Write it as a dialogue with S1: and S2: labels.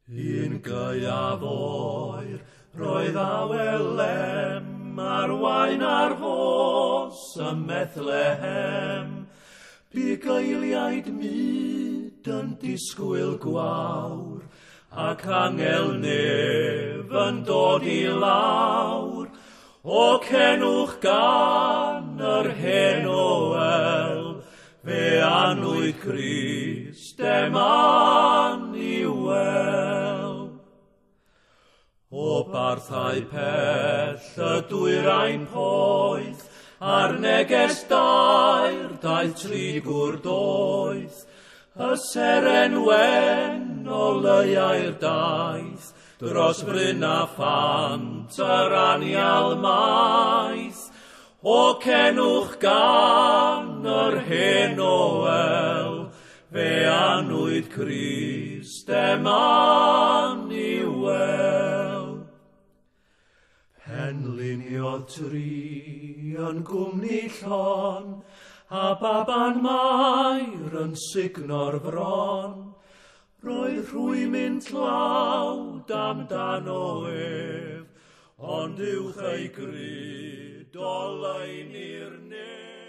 S1: Un gaeaf oer, roedd awel lem ar wain ar fos ym Methlehem. Bugeiliaid mud yn disgwyl gwawr, ac angel nef yn dod i lawr. O cenwch gan yr hen Oel, fe anwyd Crist Emmanuel. O barthau pell y dwyrain poeth, a'r neges dair daeth tri gŵr doeth, y seren wen o leiau'r daith, dros fryn a phant yr anial maith. O cenwch gan yr hen Oel, fe anwyd Crist Emmanuel. Penliniodd tri yn gwmni llon, a baban Mair yn sugno'r fron. Roedd rhwymyn tlawd amdano ef, ond uwch ei gryd oleuni'r nef.